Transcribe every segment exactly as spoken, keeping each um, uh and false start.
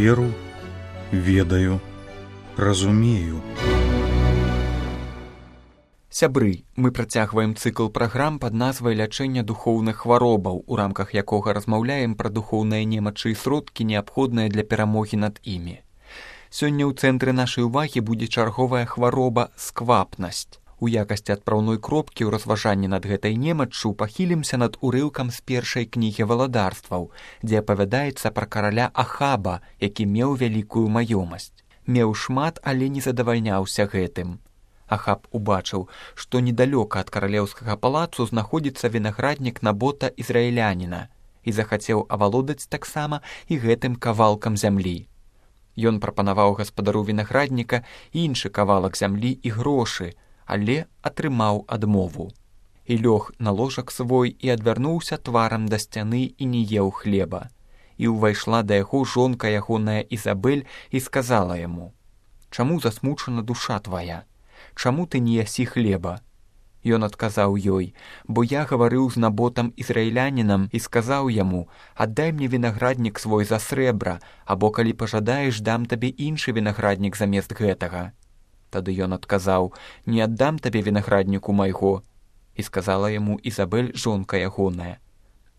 Веру, ведаю, разумею. Сябры, мы працягваем цыкл праграм пад назвай лячэння духоўных хваробаў, у рамках якога размаўляем пра духоўныя немачы і сродкі, неабходныя для перамогі над імі. Сёння ў цэнтры нашай увагі будзе чарговая хвароба сквапнасць. У якасці адпраўной кропкі ў разважанні над гэтай немаччу пахілімся над урыўкам з першай кнігі валадарстваў, дзе апавядаецца пра караля Ахаба, які меў вялікую маёмасць. Меў шмат, але не задавальняўся гэтым. Ахаб убачыў, што недалёка ад каралеўскага палацу знаходзіцца вінаграднік Набота ізраіляніна і захацеў авалодаць таксама і гэтым кавалкам зямлі. Ён прапанаваў гаспадару вінаградніка іншы кавалак зямлі і грошы, але атрымаў адмову. І лёг на ложак свой і адвярнуўся тварам да сцяны і не еў хлеба. І ўвайшла да яго жонка ягоная Ізабель і сказала яму: «Чаму засмучана душа твая? Чаму ты не ясі хлеба?» Ён адказаў ёй: «Бо я гаварыў з Наботам ізраілянінам і сказаў яму: аддай мне вінаграднік свой за срэбра, або калі пажадаеш, дам табе іншы вінаграднік замест гэтага». Тады ён адказаў: «Не аддам табе вінаградніку майго». І сказала яму Ізабель, жонка ягоная: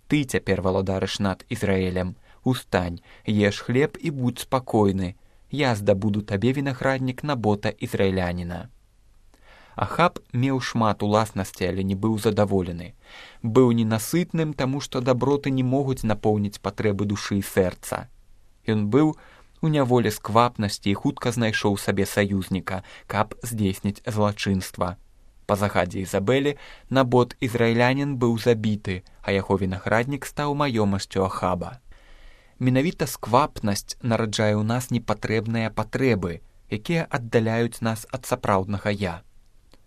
«Ты цяпер валадарыш над Ізраэлем. Устань, еш хлеб і будь спакойны. Я здабуду табе вінаграднік Набота ізраіляніна». Ахаб меў шмат уласнасці, але не быў задаволены. Быў ненасытным, таму што даброты не могуць напоўніць патрэбы душы і сэрца. Ён быў у няволі сквапнасці і хутка знайшоў сабе саюзніка, каб здзейсніць злачынства. Па загадзе Ізабелі Набот ізраілянін быў забіты, а яго вінаграднік стаў маёмасцю Ахаба. Менавіта сквапнасць нараджае ў нас непатрэбныя патрэбы, якія аддаляюць нас ад сапраўднага я.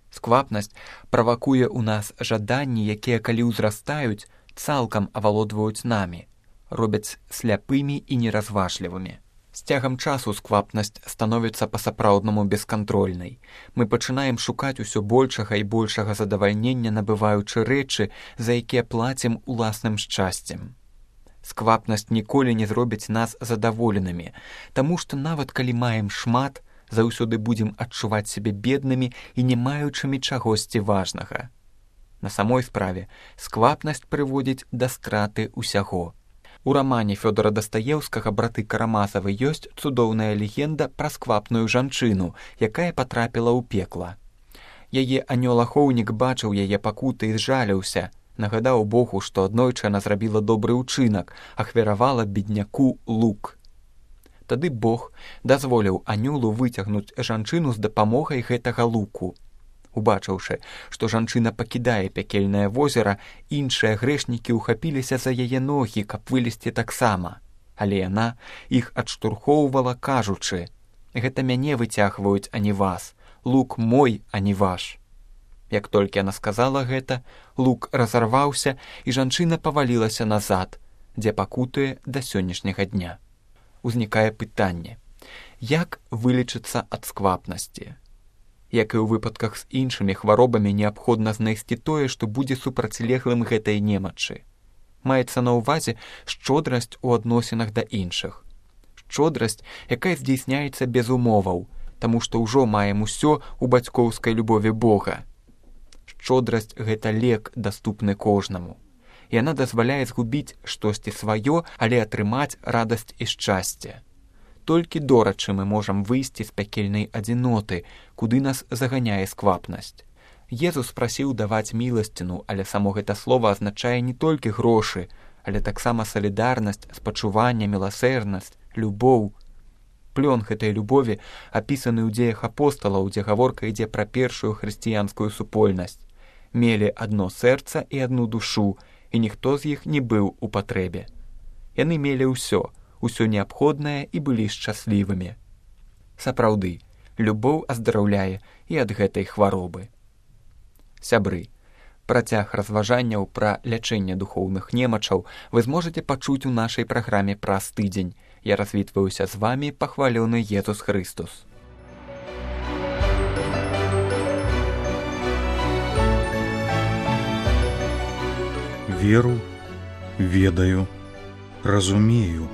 Сквапнасць правакуе ў нас жаданні, якія, калі ўзрастаюць, цалкам авалодваюць намі, робяць сляпымі і неразважлівымі. З цягам часу сквапнасць становіцца па-сапраўднаму бескантрольнай. Мы пачынаем шукаць усё большага і большага задавальнення, набываючы рэчы, за якія плацім уласным шчасцем. Сквапнасць ніколі не зробіць нас задаволенымі, таму што нават калі маем шмат, заўсёды будзем адчуваць сябе беднымі і не маючымі чагосьці важнага. На самой справе сквапнасць прыводзіць да страты ўсяго. У рамане Фёдора Дастаеўскага «Браты Карамазавы» ёсць цудоўная легенда пра сквапную жанчыну, якая патрапіла ў пекла. Яе анёл-ахоўнік бачыў яе пакуты і зжаліўся, нагадаў Богу, што аднойчы яна зрабіла добры ўчынак, ахвяравала бедняку лук. Тады Бог дазволіў анёлу выцягнуць жанчыну з дапамогай гэтага луку. Убачыўшы, што жанчына пакідае пякельнае возера, іншыя грэшнікі ўхапіліся за яе ногі, каб вылезці таксама. Але яна іх адштурхоўвала, кажучы: «Гэта мяне выцягваюць, а не вас. Лук мой, а не ваш». Як толькі яна сказала гэта, лук разарваўся, і жанчына павалілася назад, дзе пакутуе да сённяшняга дня. Узнікае пытанне: як вылечыцца ад сквапнасці? Як і ў выпадках з іншымі хваробамі, неабходна знайсці тое, што будзе супрацьлеглым гэтай немачы. Маецца на ўвазе шчодрасць у адносінах да іншых. Шчодрасць, якая здзейсняецца без умоваў, таму што ўжо маем усё ў бацькоўскай любові Бога. Шчодрасць – гэта лек, даступны кожнаму. Яна дазваляе згубіць штосьці сваё, але атрымаць радасць і шчасце. Толькі дорачы мы можам выйсці з пякельнай адзіноты, куды нас заганяе сквапнасць. Езус прасіў даваць міласціну, але само гэта слова азначае не толькі грошы, але таксама салідарнасць, спачуванне, міласэрнасць, любоў. Плён гэтай любові апісаны ў дзеях апосталаў, дзе гаворка ідзе пра першую хрысціянскую супольнасць. Мелі адно сэрца і адну душу, і ніхто з іх не быў у патрэбе. Яны мелі ўсё, усё неабходнае і былі шчаслівымі. Сапраўды, любоў аздараўляе і ад гэтай хваробы. Сябры, працяг разважанняў пра лячэнне духоўных немачаў вы зможаце пачуць у нашай праграме праз тыдзень. Я развітваюся з вамі, пахвалёны Езус Хрыстус. Веру, ведаю, разумею.